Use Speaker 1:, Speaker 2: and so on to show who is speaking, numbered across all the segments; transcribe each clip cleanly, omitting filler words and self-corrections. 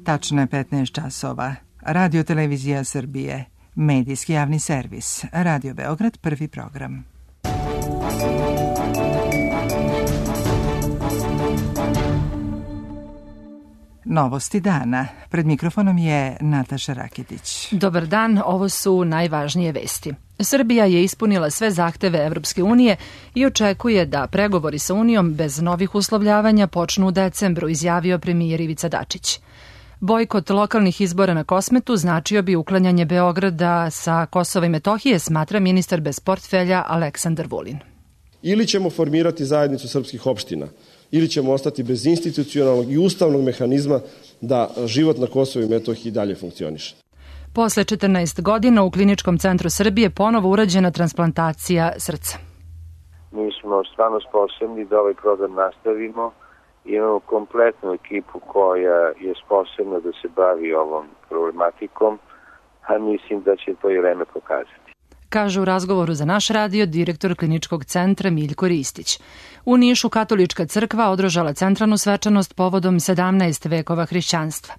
Speaker 1: Tačno je 15 časova. Radio Televizija Srbije, medijski javni servis, Radio Beograd, prvi program. Novosti dana. Pred mikrofonom je Nataša Rakitić.
Speaker 2: Dobar dan, ovo su najvažnije vesti. Srbija je ispunila sve zahteve Evropske unije i očekuje da pregovori sa Unijom bez novih uslovljavanja počnu u decembru, izjavio premijer Ivica Dačić. Bojkot lokalnih izbora na Kosmetu značio bi uklanjanje Beograda sa Kosova i Metohije, smatra ministar bez portfelja Aleksandar Vulin.
Speaker 3: Ili ćemo formirati zajednicu srpskih opština, ili ćemo ostati bez institucionalnog i ustavnog mehanizma da život na Kosovu i Metohiji dalje funkcioniše.
Speaker 2: Posle 14 godina u Kliničkom centru Srbije ponovo urađena transplantacija srca.
Speaker 4: Mi smo stvarno sposobni da ovaj program nastavimo. Imamo kompletnu ekipu koja je sposobna da se bavi ovom problematikom, a mislim da će to i vreme pokazati.
Speaker 2: Kaže u razgovoru za naš radio direktor Kliničkog centra Miljko Ristić. U Nišu katolička crkva održala centralnu svečanost povodom 17 vekova hrišćanstva.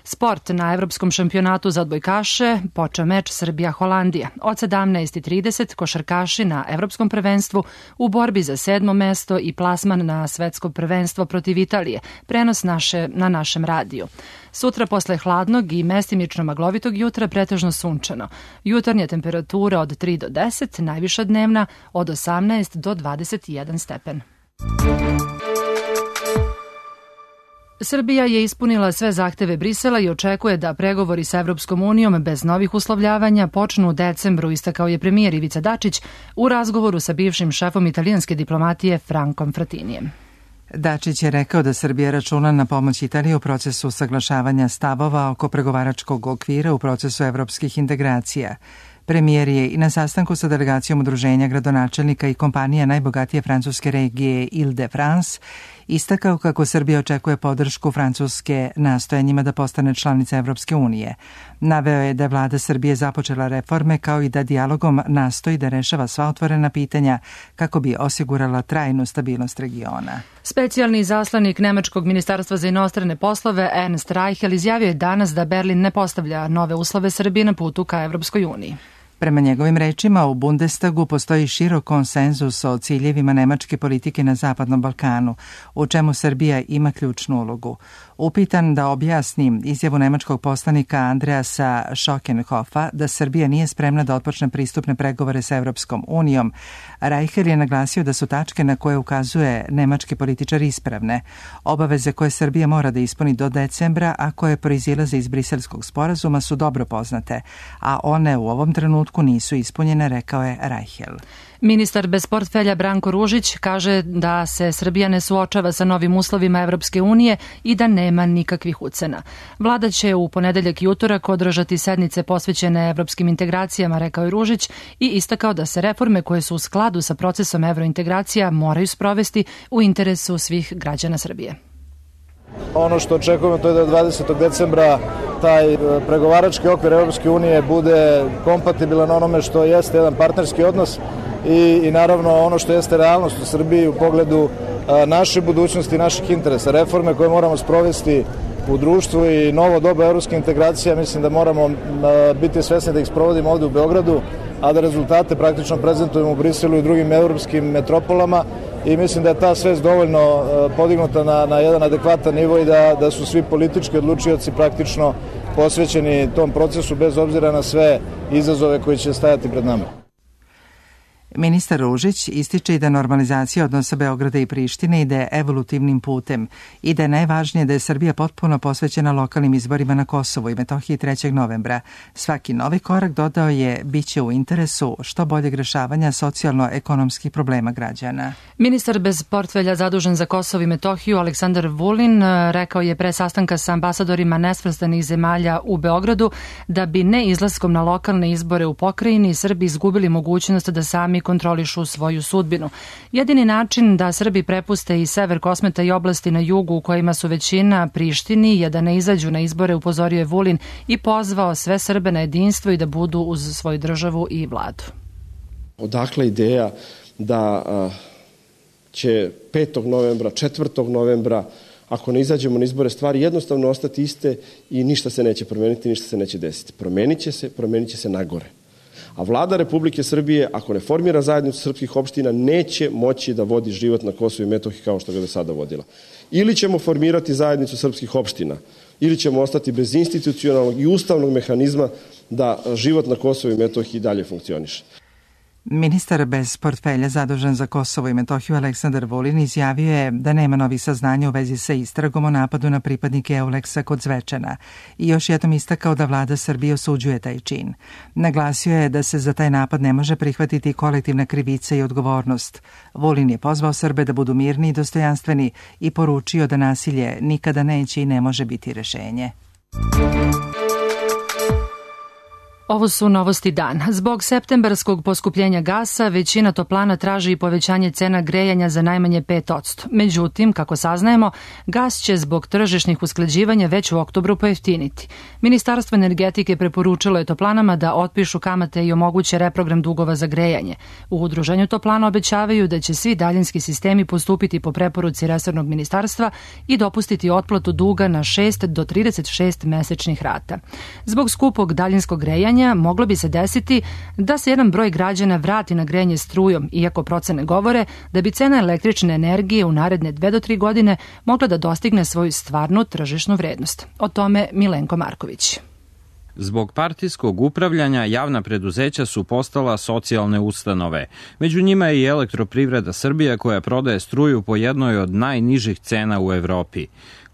Speaker 2: Sport na Evropskom šampionatu za odbojkaše počeo meč Srbija-Holandija. Od 17:30 košarkaši na Evropskom prvenstvu u borbi za 7. mesto i plasman na svetsko prvenstvo protiv Italije. Prenos na našem radiju. Sutra posle hladnog i mestimično maglovitog jutra pretežno sunčano. Jutarnja temperatura od 3 do 10, najviša dnevna od 18 do 21 stepen. Srbija je ispunila sve zahteve Brisela i očekuje da pregovori sa Evropskom unijom bez novih uslovljavanja počnu u decembru, istakao je premijer Ivica Dačić u razgovoru sa bivšim šefom italijanske diplomatije Frankom Fratinijem.
Speaker 1: Dačić je rekao da Srbija računa na pomoć Italije u procesu usaglašavanja stavova oko pregovaračkog okvira u procesu evropskih integracija. Premijer je i na sastanku sa delegacijom udruženja gradonačelnika i kompanija najbogatije francuske regije Ile-de-France istakao kako Srbija očekuje podršku Francuske nastojanjima da postane članica Evropske unije. Naveo je da je vlada Srbije započela reforme kao i da dijalogom nastoji da rešava sva otvorena pitanja kako bi osigurala trajnu stabilnost regiona.
Speaker 2: Specijalni izaslanik Nemačkog ministarstva za inostrane poslove Ernst Reichel izjavio je danas da Berlin ne postavlja nove uslove Srbije na putu ka Evropskoj uniji.
Speaker 1: Prema njegovim rečima, u Bundestagu postoji širok konsenzus o ciljevima nemačke politike na Zapadnom Balkanu, u čemu Srbija ima ključnu ulogu. Upitan da objasni izjavu nemačkog poslanika Andreasa Schockenhofa da Srbija nije spremna da otpočne pristupne pregovore sa Evropskom unijom, Reichel je naglasio da su tačke na koje ukazuje nemački političar ispravne. Obaveze koje Srbija mora da ispuni do decembra, a koje proizilaze iz Briselskog sporazuma, su dobro poznate, a one u ovom trenutku nisu ispunjene, rekao je Reichel.
Speaker 2: Ministar bez portfelja Branko Ružić kaže da se Srbija ne suočava sa novim uslovima Evropske unije i da nema nikakvih ucena. Vlada će u ponedeljak i utorak održati sednice posvećene evropskim integracijama, rekao je Ružić, i istakao da se reforme koje su u skladu sa procesom evrointegracija moraju sprovesti u interesu svih građana Srbije.
Speaker 5: Ono što očekujemo to je da 20. decembra taj pregovarački okvir Evropske unije bude kompatibilan onome što jeste jedan partnerski odnos i naravno ono što jeste realnost u Srbiji u pogledu naše budućnosti, naših interesa, reforme koje moramo sprovesti u društvu i novo doba evropske integracije. Mislim da moramo biti svesni da ih sprovodimo ovde u Beogradu, a da rezultate praktično prezentujemo u Briselu i drugim evropskim metropolama i mislim da je ta svest dovoljno podignuta na jedan adekvatan nivo i da su svi politički odlučioci praktično posvećeni tom procesu bez obzira na sve izazove koji će stajati pred nama.
Speaker 1: Ministar Ružić ističe i da normalizacija odnosa Beograda i Prištine ide evolutivnim putem i da je najvažnije da je Srbija potpuno posvećena lokalnim izborima na Kosovu i Metohiji 3. novembra. Svaki novi korak, dodao je, biće u interesu što boljeg rešavanja socijalno-ekonomskih problema građana.
Speaker 2: Ministar bez portfelja zadužen za Kosovo i Metohiju Aleksandar Vulin rekao je pre sastanka sa ambasadorima nesvrstanih zemalja u Beogradu da bi ne izlaskom na lokalne izbore u pokrajini Srbi izgubili mogućnost da sami kontrolišu svoju sudbinu. Jedini način da Srbi prepuste i sever Kosmeta i oblasti na jugu u kojima su većina Prištini je da ne izađu na izbore, upozorio je Vulin i pozvao sve Srbe na jedinstvo i da budu uz svoju državu i vladu.
Speaker 3: Odakle ideja da će 5. novembra, 4. novembra ako ne izađemo na izbore, stvari jednostavno ostati iste i ništa se neće promeniti, ništa se neće desiti. Promenit će se nagore. A vlada Republike Srbije, ako ne formira zajednicu srpskih opština, neće moći da vodi život na Kosovu i Metohiji kao što ga do sada vodila. Ili ćemo formirati zajednicu srpskih opština, ili ćemo ostati bez institucionalnog i ustavnog mehanizma da život na Kosovu i Metohiji dalje funkcioniše.
Speaker 1: Ministar bez portfelja zadužen za Kosovo i Metohiju Aleksandar Vulin izjavio je da nema novih saznanja u vezi sa istragom o napadu na pripadnike Euleksa kod Zvečana i još jednom istakao da vlada Srbije osuđuje taj čin. Naglasio je da se za taj napad ne može prihvatiti kolektivna krivica i odgovornost. Vulin je pozvao Srbe da budu mirni i dostojanstveni i poručio da nasilje nikada neće i ne može biti rešenje.
Speaker 2: Ovo su novosti dan. Zbog septembarskog poskupljenja gasa, većina toplana traži i povećanje cena grejanja za najmanje 5%. Međutim, kako saznajemo, gas će zbog tržišnih usklađivanja već u oktobru pojeftiniti. Ministarstvo energetike preporučilo je toplanama da otpišu kamate i omoguće reprogram dugova za grejanje. U udruženju toplana obećavaju da će svi daljinski sistemi postupiti po preporuci resornog ministarstva i dopustiti otplatu duga na 6 do 36 mesečnih rata. Zbog skupog daljinskog grejanja moglo bi se desiti da se jedan broj građana vrati na grejanje strujom, iako procene govore da bi cena električne energije u naredne 2 do 3 godine mogla da dostigne svoju stvarnu tržišnu vrednost. O tome Milenko Marković.
Speaker 6: Zbog partijskog upravljanja javna preduzeća su postala socijalne ustanove. Među njima je i Elektroprivreda Srbije koja prodaje struju po jednoj od najnižih cena u Evropi.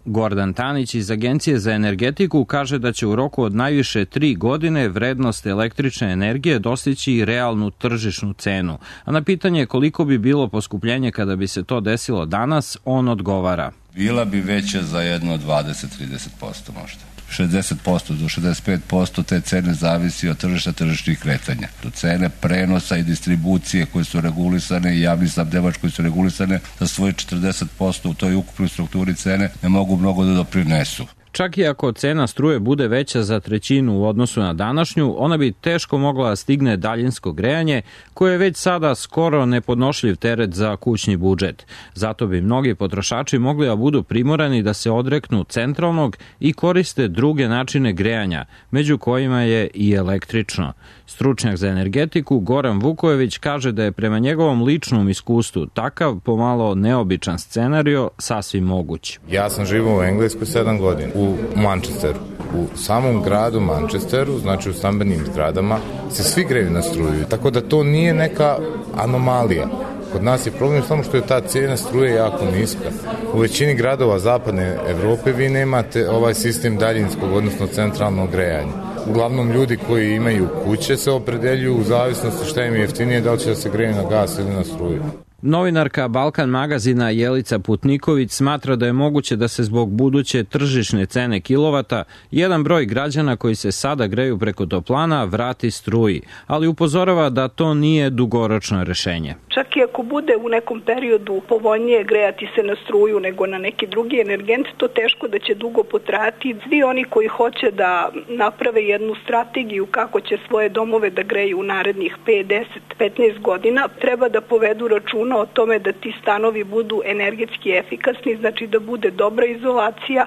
Speaker 6: Gordan Tanić iz Agencije za energetiku kaže da će u roku od najviše 3 godine vrednost električne energije dostići realnu tržišnu cenu. A na pitanje koliko bi bilo poskupljenje kada bi se to desilo danas, on odgovara.
Speaker 7: Bila bi veća za jedno 20-30% možda. 60% do 65% te cene zavisi od tržišnih kretanja. Do cene prenosa i distribucije koje su regulisane i javni snabdevač koji su regulisane za svoje 40% u toj ukupnoj strukturi cene ne mogu mnogo da doprinesu.
Speaker 6: Čak i ako cena struje bude veća za trećinu u odnosu na današnju, ona bi teško mogla da stigne daljinsko grejanje, koje je već sada skoro nepodnošljiv teret za kućni budžet. Zato bi mnogi potrošači mogli da budu primorani da se odreknu centralnog i koriste druge načine grejanja, među kojima je i električno. Stručnjak za energetiku Goran Vukojević kaže da je prema njegovom ličnom iskustvu takav pomalo neobičan scenario sasvim moguć.
Speaker 8: Ja sam živio u Engleskoj 7 godina, u Manchesteru. U samom gradu Manchesteru, znači u stambenim zgradama, se svi greju na struju, tako da to nije neka anomalija. Kod nas je problem samo što je ta cijena struje jako niska. U većini gradova zapadne Evrope vi nemate ovaj sistem daljinskog, odnosno centralnog grejanja. Uglavnom ljudi koji imaju kuće se opredeljuju u zavisnosti šta im je jeftinije, da li će da se greju na gas ili na struju.
Speaker 6: Novinarka Balkan magazina Jelica Putniković smatra da je moguće da se zbog buduće tržišne cene kilovata jedan broj građana koji se sada greju preko toplana vrati struji, ali upozorava da to nije dugoročno rešenje.
Speaker 9: Čak i ako bude u nekom periodu povoljnije grejati se na struju nego na neki drugi energent, to teško da će dugo potrajati. Svi oni koji hoće da naprave jednu strategiju kako će svoje domove da greju u narednih 5, 10, 15 godina, treba da povedu računa o tome da ti stanovi budu energetski efikasni, znači da bude dobra izolacija,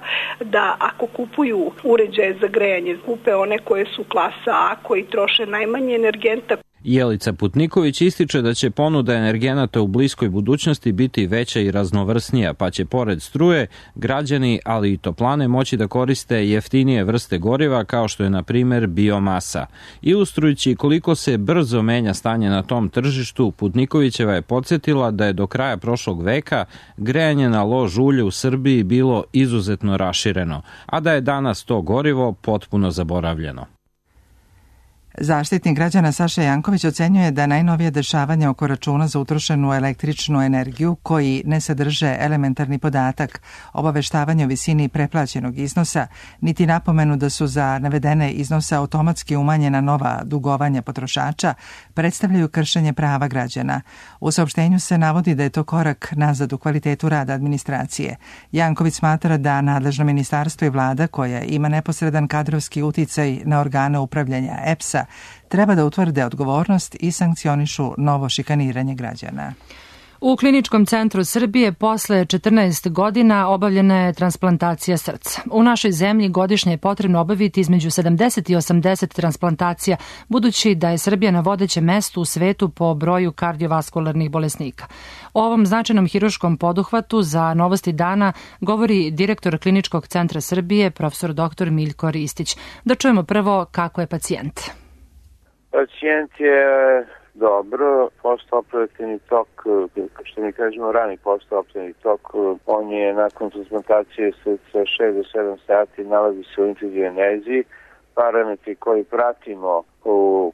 Speaker 9: da ako kupuju uređaje za grejanje, kupe one koje su klasa A, koji troše najmanje energenta.
Speaker 6: Jelica Putniković ističe da će ponuda energenata u bliskoj budućnosti biti veća i raznovrsnija, pa će pored struje građani, ali i toplane moći da koriste jeftinije vrste goriva kao što je na primer biomasa. Ilustrujući koliko se brzo menja stanje na tom tržištu, Putnikovićeva je podsjetila da je do kraja prošlog veka grejanje na lož ulje u Srbiji bilo izuzetno rašireno, a da je danas to gorivo potpuno zaboravljeno.
Speaker 1: Zaštitnik građana Saša Janković ocenjuje da najnovije dešavanja oko računa za utrošenu električnu energiju koji ne sadrže elementarni podatak, obaveštavanje o visini preplaćenog iznosa, niti napomenu da su za navedene iznose automatski umanjena nova dugovanja potrošača, predstavljaju kršenje prava građana. U saopštenju se navodi da je to korak nazad u kvalitetu rada administracije. Janković smatra da nadležno ministarstvo i vlada, koja ima neposredan kadrovski uticaj na organe upravljanja EPS-a, treba da utvrde odgovornost i sankcionišu novo šikaniranje građana.
Speaker 2: U Kliničkom centru Srbije posle 14 godina obavljena je transplantacija srca. U našoj zemlji godišnje je potrebno obaviti između 70 i 80 transplantacija, budući da je Srbija na vodećem mestu u svetu po broju kardiovaskularnih bolesnika. O ovom značajnom hiruškom poduhvatu za Novosti dana govori direktor Kliničkog centra Srbije, profesor dr. Miljko Ristić. Da čujemo prvo kako je pacijent.
Speaker 4: Pacijent je dobro, postoperativni tok, što mi kažemo rani postoperativni tok, on je nakon transplantacije srca 6 do 7 sati, nalazi se u intenzivnoj. Parametri koji pratimo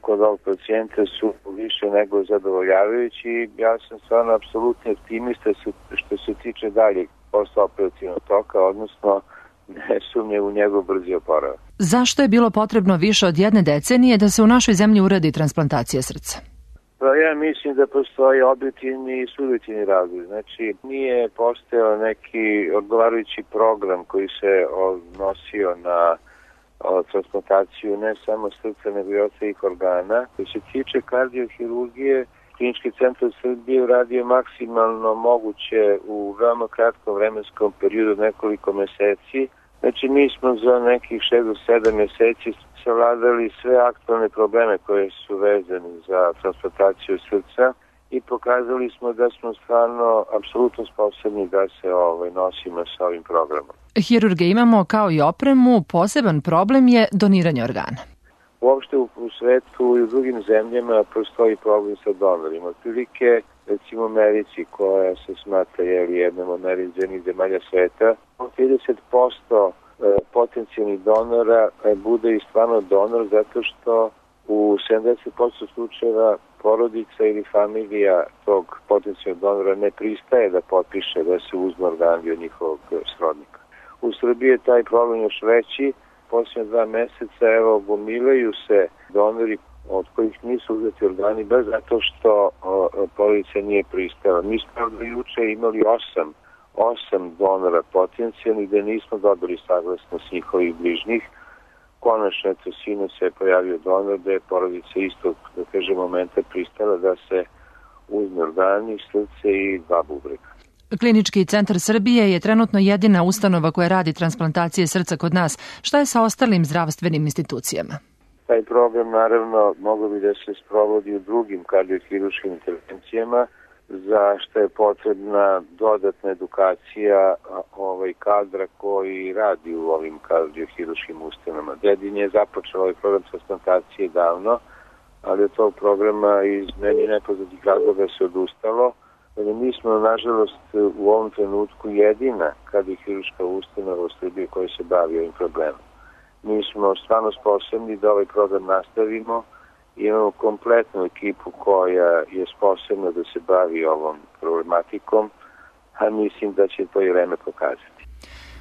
Speaker 4: kod ovog pacijenta su više nego zadovoljavajući. Ja sam stvarno apsolutni optimista što se tiče daljeg postoperativnog toka, odnosno ne sumnje u njegov brzi oporavak.
Speaker 2: Zašto je bilo potrebno više od 1 decenije da se u našoj zemlji uradi transplantacija srca?
Speaker 4: Pa ja mislim da postoji objektivni i subjektivni razlog. Znači, nije postojao neki odgovarajući program koji se odnosio na transplantaciju ne samo srca, nego i ostalih organa. Koji se tiče kardiohirurgije, Klinički centar Srbije uradio maksimalno moguće u veoma kratkom vremenskom periodu, nekoliko meseci. Znači, mi smo za nekih 6 do 7 meseci savladali sve aktualne probleme koje su vezane za transplantaciju srca i pokazali smo da smo stvarno apsolutno sposobni da se nosimo sa ovim programom.
Speaker 2: Hirurge imamo kao i opremu, poseban problem je doniranje organa.
Speaker 4: Uopšte u svetu i u drugim zemljama postoji problem sa donorima. Otprilike, recimo u Americi, koja se smatra jednom od najrazvijenijih zemalja sveta, 30% potencijalnih donora bude i stvarno donor zato što u 70% slučajeva porodica ili familija tog potencijalnog donora ne pristaje da potpiše da se uzme organ od njihovog srodnika. U Srbiji je taj problem još veći. Posljednje 2 meseca gomilaju se donori od kojih nisu uzeti organi baš zato što porodica nije pristala. Mi smo do juče imali 8 donora potencijalnih gde nismo dobili saglasnost njihovih bližnjih. Konačno, sinu se je pojavio donor gde je porodica istog, da kažem, momenta pristala da se uzme organi, srce i 2 bubrega.
Speaker 2: Klinički centar Srbije je trenutno jedina ustanova koja radi transplantacije srca kod nas. Šta je sa ostalim zdravstvenim institucijama?
Speaker 4: Taj program, naravno, mogao bi da se sprovodi u drugim kardiohiruškim intervencijama, za što je potrebna dodatna edukacija kadra koji radi u ovim kardiohiruškim ustanovama. Dedin je započeo ovaj program transplantacije davno, ali od tog programa iz meni nepoznatih razloga se odustalo. Mi smo, nažalost, u ovom trenutku jedina kardiohiruška ustanova u Srbiji koja se bavi ovim problemom. Mi smo stvarno sposobni da ovaj program nastavimo. Imamo kompletnu ekipu koja je sposobna da se bavi ovom problematikom, a mislim da će to i vreme pokazati.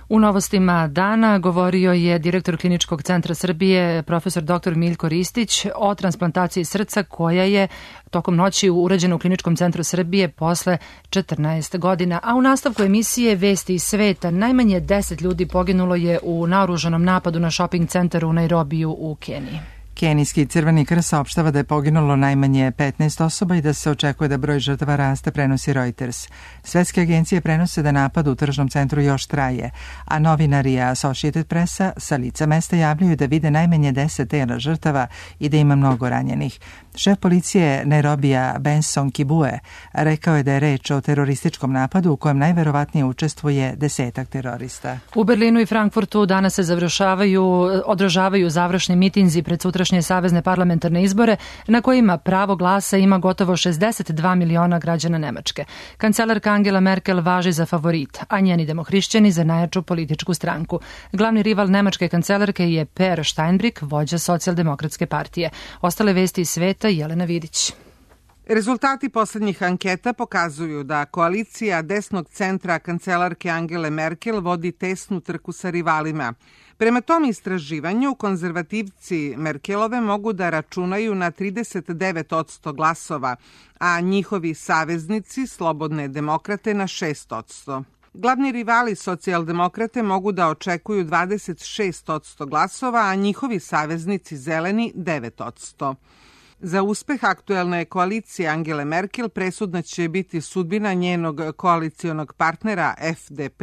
Speaker 2: U Novostima dana govorio je direktor Kliničkog centra Srbije, profesor dr. Miljko Ristić, o transplantaciji srca koja je tokom noći urađena u Kliničkom centru Srbije posle 14 godina. A u nastavku emisije Vesti iz sveta najmanje 10 ljudi poginulo je u naoružanom napadu na shopping centar u Nairobiju u Keniji.
Speaker 1: Kenijski Crveni krst saopštava da je poginulo najmanje 15 osoba i da se očekuje da broj žrtava raste, prenosi Reuters. Svetske agencije prenose da napad u tržnom centru još traje, a novinari Associated Pressa sa lica mesta javljaju da vide najmanje 10 tela žrtava i da ima mnogo ranjenih. Šef policije Nairobija Benson Kibue rekao je da je reč o terorističkom napadu u kojem najverovatnije učestvuje 10 terorista.
Speaker 2: U Berlinu i Frankfurtu danas se održavaju završni mitinzi pred sutrašnje savezne parlamentarne izbore na kojima pravo glasa ima gotovo 62 miliona građana Nemačke. Kancelarka Angela Merkel važi za favorit, a njeni demohrišćani za najjaču političku stranku. Glavni rival nemačke kancelarke je Per Steinbrück, vođa socijaldemokratske partije. Ostale vesti iz sveta, Jelena Vidić.
Speaker 10: Rezultati poslednjih anketa pokazuju da koalicija desnog centra kancelarke Angele Merkel vodi tesnu trku sa rivalima. Prema tom istraživanju, konzervativci Merkelove mogu da računaju na 39% glasova, a njihovi saveznici, slobodne demokrate, na 6%. Glavni rivali socijaldemokrate mogu da očekuju 26% glasova, a njihovi saveznici zeleni 9%. Za uspeh aktuelne koalicije Angele Merkel presudna će biti sudbina njenog koalicionog partnera FDP,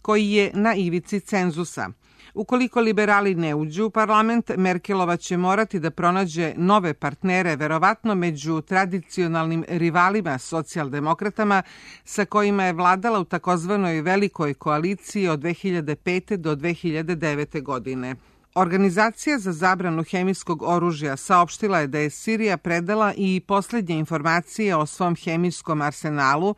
Speaker 10: koji je na ivici cenzusa. Ukoliko liberali ne uđu u parlament, Merkelova će morati da pronađe nove partnere, verovatno među tradicionalnim rivalima socijaldemokratama sa kojima je vladala u takozvanoj velikoj koaliciji od 2005. do 2009. godine. Organizacija za zabranu hemijskog oružja saopštila je da je Sirija predala i poslednje informacije o svom hemijskom arsenalu,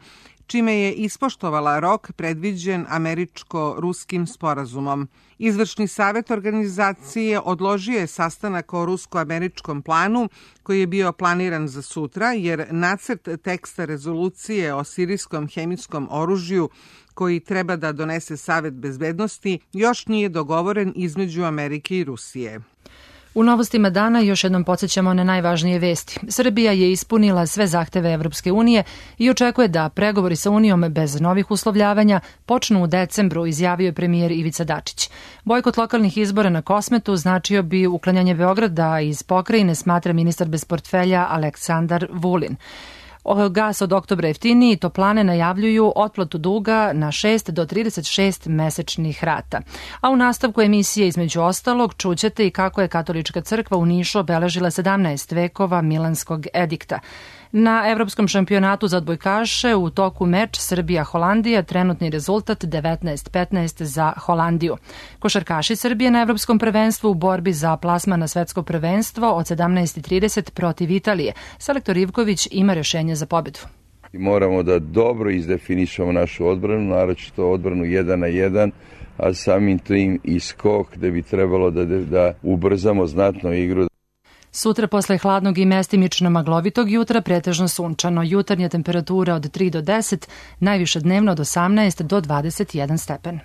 Speaker 10: čime je ispoštovala rok predviđen američko-ruskim sporazumom. Izvršni savet organizacije odložio je sastanak o rusko-američkom planu koji je bio planiran za sutra, jer nacrt teksta rezolucije o sirijskom hemijskom oružju koji treba da donese Savet bezbednosti još nije dogovoren između Amerike i Rusije.
Speaker 2: U novostima dana još jednom podsjećamo na najvažnije vesti. Srbija je ispunila sve zahteve Evropske unije i očekuje da pregovori sa Unijom bez novih uslovljavanja počnu u decembru, izjavio je premijer Ivica Dačić. Bojkot lokalnih izbora na Kosmetu značio bi uklanjanje Beograda iz pokrajine, smatra ministar bez portfelja Aleksandar Vulin. Gas od oktobra jeftiniji, toplane najavljuju otplatu duga na 6 do 36 mesečnih rata. A u nastavku emisije između ostalog čućete i kako je Katolička crkva u Nišu obeležila 17 vekova Milanskog edikta. Na Evropskom šampionatu za odbojkaše u toku meč Srbija-Holandija, trenutni rezultat 19-15 za Holandiju. Košarkaši Srbije na Evropskom prvenstvu u borbi za plasman na svetsko prvenstvo od 17:30 protiv Italije. Selektor Ivković ima rješenje za pobedu.
Speaker 11: Moramo da dobro izdefinišemo našu odbranu, naročito odbranu 1 na 1, a samim tim i skok gde bi trebalo da ubrzamo znatno igru.
Speaker 2: Sutra posle hladnog i mestimično maglovitog jutra pretežno sunčano. Jutarnja temperatura od 3 do 10, najviše dnevno od 18 do 21 stepen.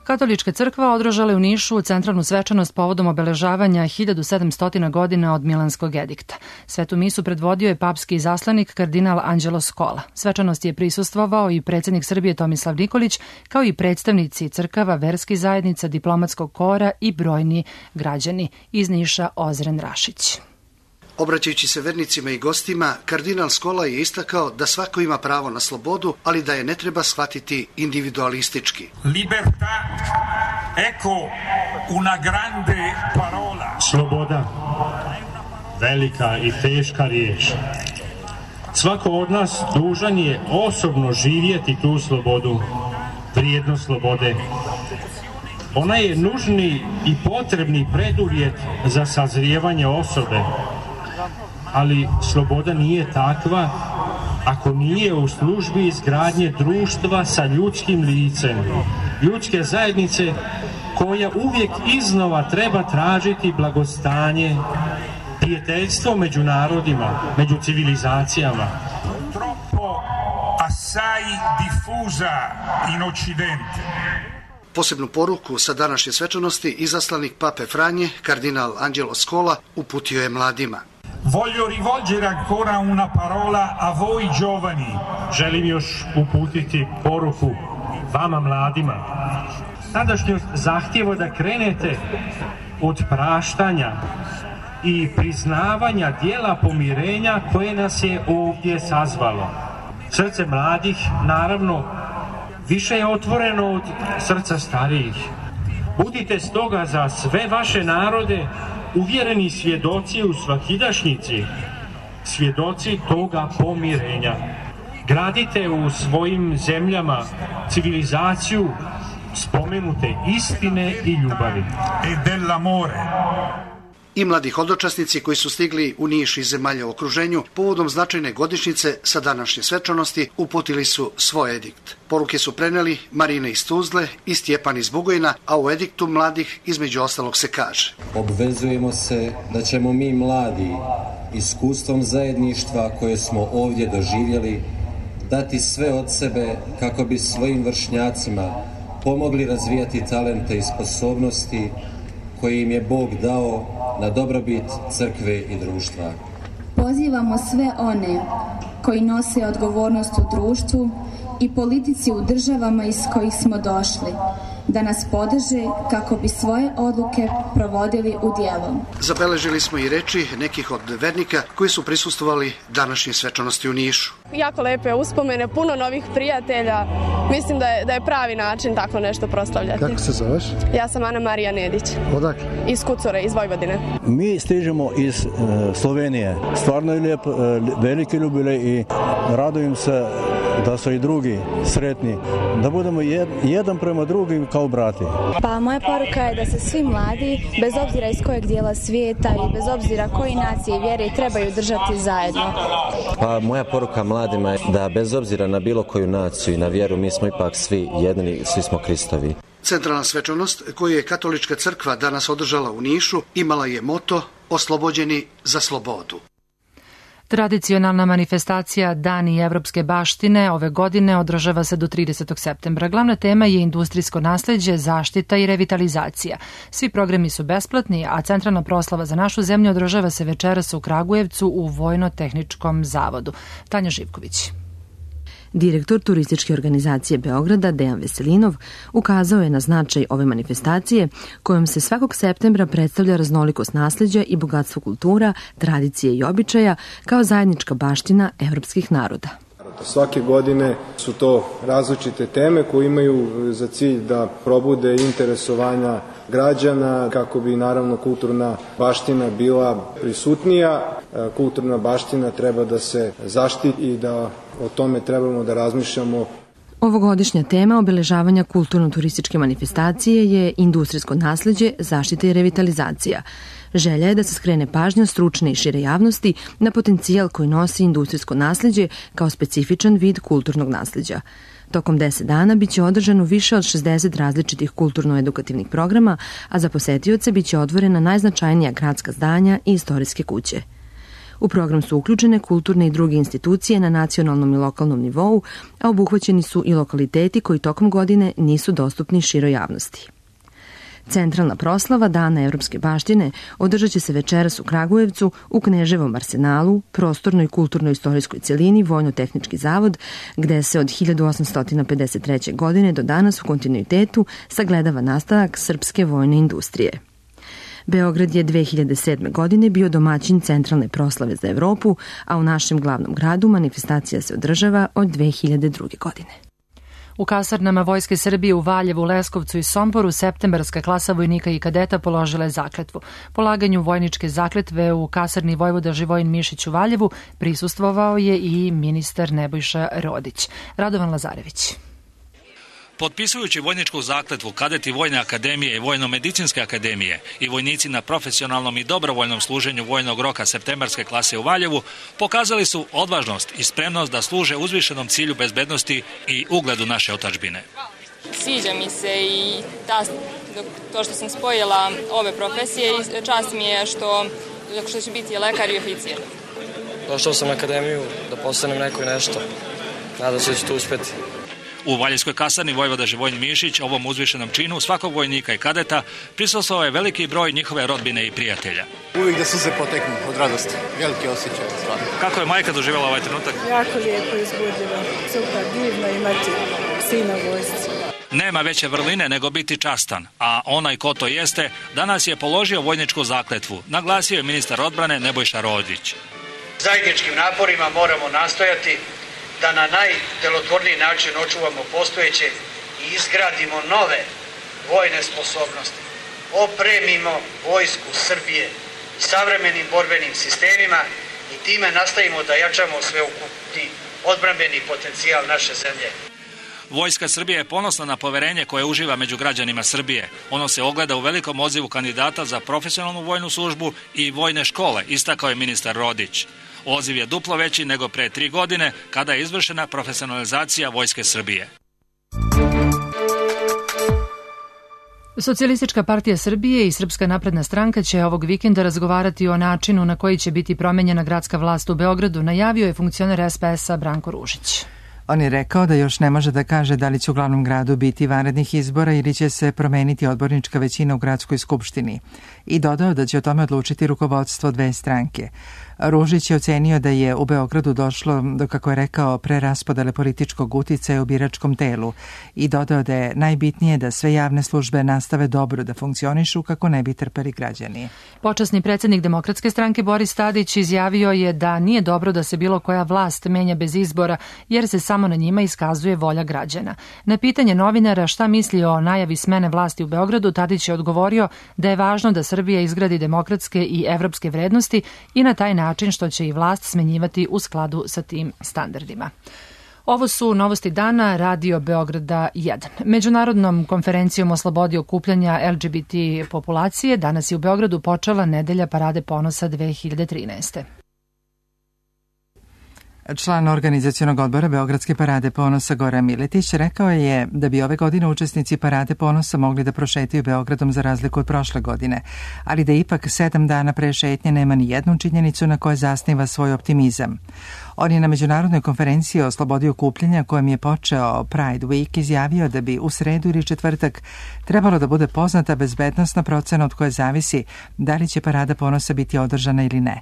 Speaker 2: Katolička crkva održala je u Nišu centralnu svečanost povodom obeležavanja 1700 godina od Milanskog edikta. Svetu misu predvodio je papski izaslanik kardinal Anđelo Scola. Svečanosti je prisustvovao i predsjednik Srbije Tomislav Nikolić, kao i predstavnici crkava, verskih zajednica, diplomatskog kora i brojni građani. Iz Niša Ozren Rašić.
Speaker 12: Obraćajući se vernicima i gostima, kardinal Scola je istakao da svako ima pravo na slobodu, ali da je ne treba shvatiti individualistički.
Speaker 13: Libertà, ecco una grande parola.
Speaker 14: Sloboda, velika i teška riječ. Svako od nas dužan je osobno živjeti tu slobodu, vrijednost slobode. Ona je nužni i potrebni preduvjet za sazrijevanje osobe. Ali sloboda nije takva ako nije u službi izgradnje društva sa ljudskim licem, ljudske zajednice koja uvijek iznova treba tražiti blagostanje, prijateljstvo među narodima, među civilizacijama.
Speaker 13: Troppo assai diffusa in Occidente.
Speaker 12: Posebnu poruku sa današnje svečanosti izaslanik Pape Franje, kardinal Anđelo Scola, uputio je mladima.
Speaker 13: Voglio rivolgere ancora una parola a voi giovani.
Speaker 14: Želim još uputiti poruku vama mladima. Sadašnjost zahtjeva da krenete od praštanja i priznavanja dijela pomirenja koje nas je ovdje sazvalo. Srce mladih, naravno, više je otvoreno od srca starijih. Budite stoga za sve vaše narode uvjereni svjedoci u svakidašnjici, svjedoci toga pomirenja. Gradite u svojim zemljama civilizaciju spomenute istine i ljubavi.
Speaker 13: E dell'amore.
Speaker 12: I mladi hodočasnici koji su stigli u Niš i zemalja u okruženju povodom značajne godišnjice sa današnje svečanosti uputili su svoj edikt. Poruke su preneli Marina iz Tuzle i Stjepan iz Bugojna, a u ediktu mladih između ostalog se kaže:
Speaker 15: obvezujemo se da ćemo mi mladi iskustvom zajedništva koje smo ovdje doživjeli dati sve od sebe kako bi svojim vršnjacima pomogli razvijati talente i sposobnosti koje im je Bog dao na dobrobit crkve i društva.
Speaker 16: Pozivamo sve one koji nose odgovornost u društvu i politici u državama iz kojih smo došli da nas podrže kako bi svoje odluke provodili u djelo.
Speaker 12: Zabeležili smo i reči nekih od vernika koji su prisustvovali današnje svečanosti u Nišu.
Speaker 17: Jako lepe uspomene, puno novih prijatelja. Mislim da je pravi način tako nešto proslavljati.
Speaker 18: Kako se zoveš?
Speaker 17: Ja sam Ana Marija Nedić.
Speaker 18: Odakle?
Speaker 17: Iz Kucore, iz Vojvodine.
Speaker 19: Mi stižemo iz Slovenije. Stvarno je lijep, veliki jubilej i radujem se da su i drugi sretni, da budemo jedan prema drugim kao brati.
Speaker 20: Pa moja poruka je da se svi mladi, bez obzira iz kojeg dijela svijeta i bez obzira koji nacije i vjere, trebaju držati zajedno.
Speaker 21: Pa moja poruka mladima je da bez obzira na bilo koju naciju i na vjeru, mi smo ipak svi jedni, svi smo Kristovi.
Speaker 12: Centralna svečanost koju je Katolička crkva danas održala u Nišu imala je moto Oslobođeni za slobodu.
Speaker 2: Tradicionalna manifestacija Dani evropske baštine ove godine održava se do 30. septembra. Glavna tema je industrijsko nasleđe, zaštita i revitalizacija. Svi programi su besplatni, a centralna proslava za našu zemlju održava se večeras u Kragujevcu u Vojno-tehničkom zavodu. Tanja Živković.
Speaker 22: Direktor turističke organizacije Beograda, Dejan Veselinov, ukazao je na značaj ove manifestacije kojom se svakog septembra predstavlja raznolikost nasleđa i bogatstvo kultura, tradicije i običaja kao zajednička baština evropskih naroda.
Speaker 23: Svake godine su to različite teme koje imaju za cilj da probude interesovanja građana kako bi naravno kulturna baština bila prisutnija. Kulturna baština treba da se zaštiti i da o tome trebamo da razmišljamo.
Speaker 22: Ovogodišnja tema obeležavanja kulturno-turističke manifestacije je industrijsko nasleđe, zaštita i revitalizacija. Želja je da se skrene pažnja stručne i šire javnosti na potencijal koji nosi industrijsko nasleđe kao specifičan vid kulturnog nasleđa. Tokom 10 dana biće održano više od 60 različitih kulturno-edukativnih programa, a za posetioce biće otvorena najznačajnija gradska zdanja i istorijske kuće. U program su uključene kulturne i druge institucije na nacionalnom i lokalnom nivou, a obuhvaćeni su i lokaliteti koji tokom godine nisu dostupni široj javnosti. Centralna proslava Dana evropske baštine održat će se večeras u Kragujevcu u Kneževom arsenalu, prostornoj kulturno-istorijskoj celini Vojno-tehnički zavod, gde se od 1853. godine do danas u kontinuitetu sagledava nastavak srpske vojne industrije. Beograd je 2007. godine bio domaćin centralne proslave za Evropu, a u našem glavnom gradu manifestacija se održava od 2002. godine.
Speaker 2: U kasarnama Vojske Srbije u Valjevu, Leskovcu i Somboru septembarska klasa vojnika i kadeta položila je zakletvu. Polaganju vojničke zakletve u kasarni Vojvoda Živojin Mišić u Valjevu prisustvovao je i ministar Nebojša Rodić. Radovan Lazarević.
Speaker 24: Potpisujući vojničku zakletvu, kadeti Vojne akademije i Vojno-medicinske akademije i vojnici na profesionalnom i dobrovoljnom služenju vojnog roka septembarske klase u Valjevu pokazali su odvažnost i spremnost da služe uzvišenom cilju bezbednosti i ugledu naše otadžbine.
Speaker 25: Sviđa mi se i to što sam spojila ove profesije i čast mi je što ću biti lekar i oficir.
Speaker 26: Došao sam na akademiju da postanem neko i nešto. Nadam se da ću to uspeti.
Speaker 24: U Valjevskoj kasarni Vojvoda Živojin Mišić ovom uzvišenom činu svakog vojnika i kadeta prisustvovao je veliki broj njihove rodbine i prijatelja.
Speaker 27: Uvijek da suze poteknu od radosti. Veliki osjećaj.
Speaker 24: Kako je majka doživjela ovaj trenutak?
Speaker 28: Jako lijepo, izbudljivo. Super, divno imati sina vojsci.
Speaker 24: Nema veće vrline nego biti častan, a onaj ko to jeste, danas je položio vojničku zakletvu, naglasio je ministar odbrane Nebojša Rodić.
Speaker 29: Zajedničkim naporima moramo nastojati da na najdelotvorniji način očuvamo postojeće i izgradimo nove vojne sposobnosti. Opremimo vojsku Srbije savremenim borbenim sistemima i time nastavimo da jačamo sveukupni odbrambeni potencijal naše zemlje.
Speaker 24: Vojska Srbije je ponosna na poverenje koje uživa među građanima Srbije. Ono se ogleda u velikom odzivu kandidata za profesionalnu vojnu službu i vojne škole, istakao je ministar Rodić. Odziv je duplo veći nego pre 3 godine kada je izvršena profesionalizacija Vojske Srbije.
Speaker 2: Socijalistička partija Srbije i Srpska napredna stranka će ovog vikenda razgovarati o načinu na koji će biti promenjena gradska vlast u Beogradu, najavio je funkcioner SPS-a Branko Ružić.
Speaker 1: On je rekao da još ne može da kaže da li će u glavnom gradu biti vanrednih izbora ili će se promeniti odbornička većina u gradskoj skupštini i dodao da će o tome odlučiti rukovodstvo dve stranke. Ružić je ocenio da je u Beogradu došlo do, kako je rekao, preraspodele političkog uticaja u biračkom telu i dodao da je najbitnije da sve javne službe nastave dobro da funkcionišu kako ne bi trpeli građani.
Speaker 2: Počasni predsjednik Demokratske stranke Boris Tadić izjavio je da nije dobro da se bilo koja vlast menja bez izbora jer se samo na njima iskazuje volja građana. Na pitanje novinara šta misli o najavi smene vlasti u Beogradu, Tadić je odgovorio da je važno da Srbija izgradi demokratske i evropske vrednosti i na taj način što će i vlast smenjivati u skladu sa tim standardima. Ovo su novosti dana Radio Beograda 1. Međunarodnom konferencijom o slobodi okupljanja LGBT populacije danas je u Beogradu počela nedelja Parade ponosa 2013.
Speaker 1: Član organizacionog odbora Beogradske parade ponosa Goran Miletić rekao je da bi ove godine učesnici Parade ponosa mogli da prošetaju Beogradom za razliku od prošle godine, ali da ipak 7 dana pre šetnje nema ni jednu činjenicu na kojoj zasniva svoj optimizam. On je na međunarodnoj konferenciji o slobodi okupljanja kojem je počeo Pride Week izjavio da bi u sredu ili četvrtak trebalo da bude poznata bezbednosna procena od koje zavisi da li će Parada ponosa biti održana ili ne.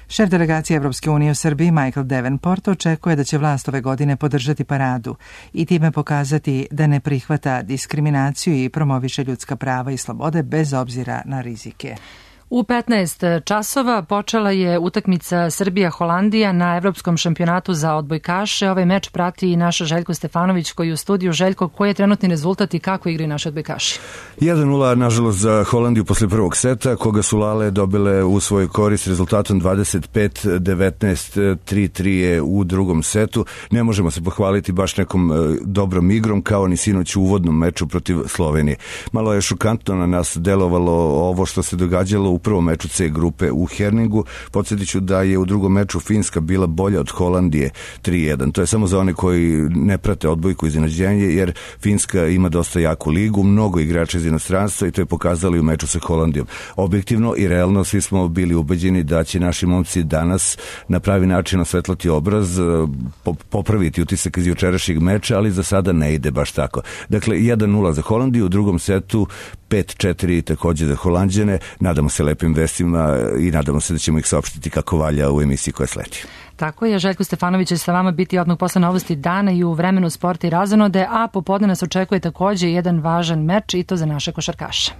Speaker 1: Šef delegacije Evropske unije u Srbiji Michael Davenport očekuje da će vlast ove godine podržati paradu i time pokazati da ne prihvata diskriminaciju i promoviše ljudska prava i slobode bez obzira na rizike.
Speaker 2: U 15 časova počela je utakmica Srbija-Holandija na Evropskom šampionatu za odbojkaše. Ovaj meč prati i naš Željko Stefanović koji je u studiju. Željko, koji je trenutni rezultat i kako igraju naši odbojkaši?
Speaker 3: 1-0 nažalost za Holandiju posle prvog seta, koga su Lale dobile u svoj korist rezultatom 25-19, 3-3 je u drugom setu. Ne možemo se pohvaliti baš nekom dobrom igrom kao ni sinoć u uvodnom meču protiv Slovenije. Malo je šokantno na nas delovalo ovo što se događalo u prvom meču C grupe u Herningu. Podsjetit ću da je u drugom meču Finska bila bolja od Holandije 3-1. To je samo za one koji ne prate odbojku iznenađenje, jer Finska ima dosta jaku ligu, mnogo igrača iz inostranstva i to je pokazali u meču sa Holandijom. Objektivno i realno svi smo bili ubeđeni da će naši momci danas na pravi način osvetlati obraz, popraviti utisak iz jučerašnjeg meča, ali za sada ne ide baš tako. Dakle, 1-0 za Holandiju, u drugom setu 5-4 također za Holanđane. Nadamo se lepim vestima i nadamo se da ćemo ih saopštiti kako valja u emisiji koja sledi.
Speaker 2: Tako je, Željko Stefanović će sa vama biti odmah posle novosti dana i u vremenu sporta i razonode, a popodne nas očekuje također jedan važan meč i to za naše košarkaše.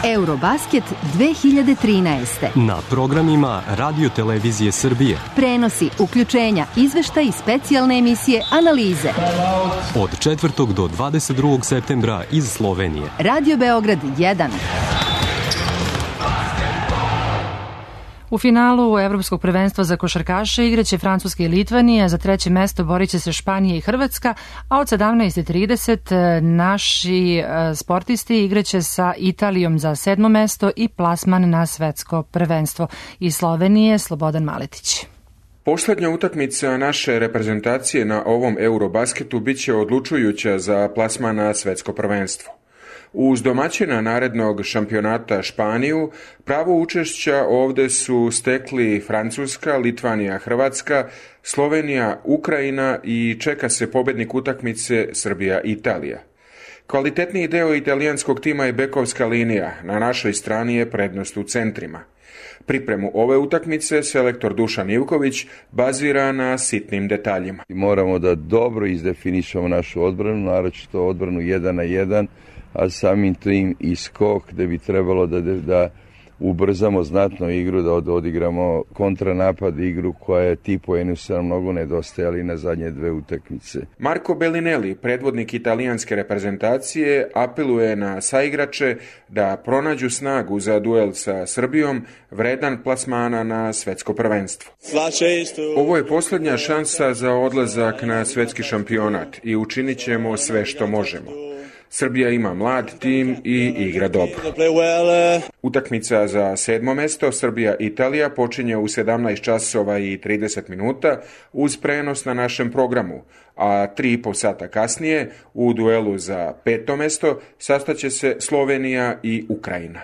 Speaker 4: Eurobasket 2013.
Speaker 5: Na programima Radio Televizije Srbije.
Speaker 4: Prenosi, uključenja, izveštaj i specijalne emisije, analize.
Speaker 5: Od 4. do 22. septembra iz Slovenije.
Speaker 4: Radio Beograd 1.
Speaker 2: U finalu Evropskog prvenstva za košarkaše igraće Francuska i Litvanija, za treće mesto borit će se Španija i Hrvatska, a od 17:30 naši sportisti igraće sa Italijom za 7. mesto i plasman na svetsko prvenstvo. Iz Slovenije Slobodan Maletić.
Speaker 6: Poslednja utakmica naše reprezentacije na ovom Eurobasketu biće odlučujuća za plasman na svetsko prvenstvo. Uz domaćina narednog šampionata Španiju, pravo učešća ovde su stekli Francuska, Litvanija, Hrvatska, Slovenija, Ukrajina i čeka se pobednik utakmice Srbija, Italija. Kvalitetniji deo italijanskog tima je bekovska linija, na našoj strani je prednost u centrima. Pripremu ove utakmice selektor Dušan Ivković bazira na sitnim detaljima.
Speaker 11: Moramo da dobro izdefinišemo našu odbranu, naročito odbranu 1 na 1, a samim tim i skok gde bi trebalo da ubrzamo znatno igru, da odigramo kontranapad igru koja je ti poeni su nam mnogo nedostajali na zadnje 2 utakmice.
Speaker 6: Marco Bellinelli, predvodnik italijanske reprezentacije, apeluje na saigrače da pronađu snagu za duel sa Srbijom, vredan plasmana na svetsko prvenstvo. Ovo je posljednja šansa za odlazak na svetski šampionat i učinit ćemo sve što možemo. Srbija ima mlad tim i igra dobro. Utakmica za 7. mesto Srbija-Italija počinje u 17 časova i 30 minuta uz prenos na našem programu, a 3,5 sata kasnije u duelu za 5. mesto sastaće se Slovenija i Ukrajina.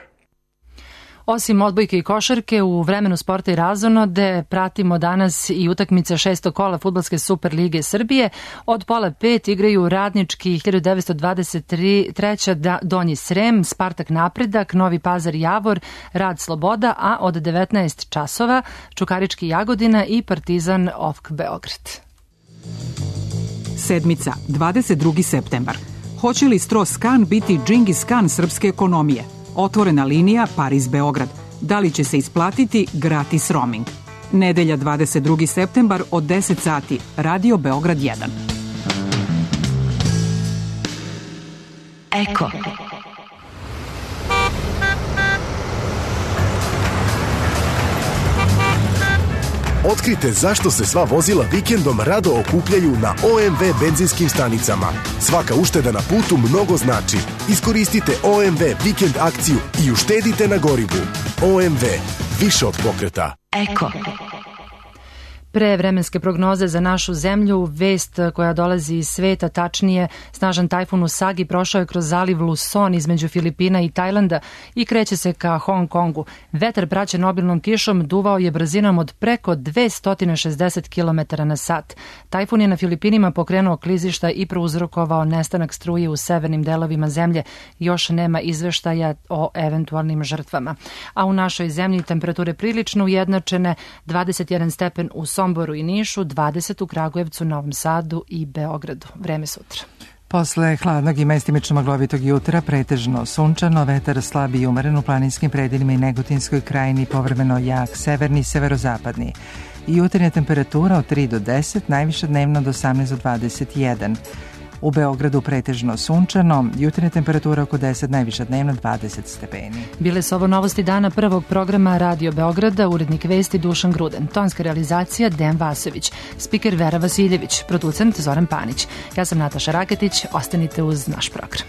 Speaker 2: Osim odbojke i košarke, u vremenu sporta i razonode pratimo danas i utakmice 6. kola Fudbalske Super lige Srbije. Od pola 5 igraju Radnički 1923 Donji Srem, Spartak Napredak, Novi Pazar Javor, Rad Sloboda, a od 19 časova Čukarički Jagodina i Partizan OFK Beograd.
Speaker 7: Sedmica, 22. septembar. Hoće li Stros-Kan biti Džingis Kan srpske ekonomije? Otvorena linija Pariz-Beograd. Da li će se isplatiti gratis roaming? Nedelja 22. septembar od 10 sati. Radio Beograd 1.
Speaker 4: Eko.
Speaker 8: Otkrite zašto se sva vozila vikendom rado okupljaju na OMV benzinskim stanicama. Svaka ušteda na putu mnogo znači. Iskoristite OMV vikend akciju i uštedite na gorivu. OMV. Više od pokreta.
Speaker 4: Eko.
Speaker 2: Pre vremenske prognoze za našu zemlju, vest koja dolazi iz sveta, tačnije snažan tajfun Usagi prošao je kroz zaliv Luzon između Filipina i Tajlanda i kreće se ka Hong Kongu. Vetar praćen obilnom kišom duvao je brzinom od preko 260 km na sat. Tajfun je na Filipinima pokrenuo klizišta i prouzrokovao nestanak struje u severnim delovima zemlje. Još nema izveštaja o eventualnim žrtvama. A u našoj zemlji temperature prilično ujednačene, 21 stepen u Somboru i Nišu, 20 u Kragujevcu, Novom Sadu i Beogradu. Vreme sutra.
Speaker 1: Posle hladnog i mestimično maglovitog jutra, pretežno sunčano, vetar slab i umeren u planinskim predelima i Negotinskoj krajini, povremeno jak severni i severozapadni. Jutarnja temperatura od 3 do 10, najviša dnevno do 18 do 21. U Beogradu pretežno sunčano, jutarnja temperatura oko 10, najviša dnevno 20 stepeni.
Speaker 2: Bile su ovo novosti dana prvog programa Radio Beograda, urednik vesti Dušan Gruden, tonska realizacija Dejan Vasović, spiker Vera Vasiljević, producent Zoran Panić. Ja sam Nataša Raketić, ostanite uz naš program.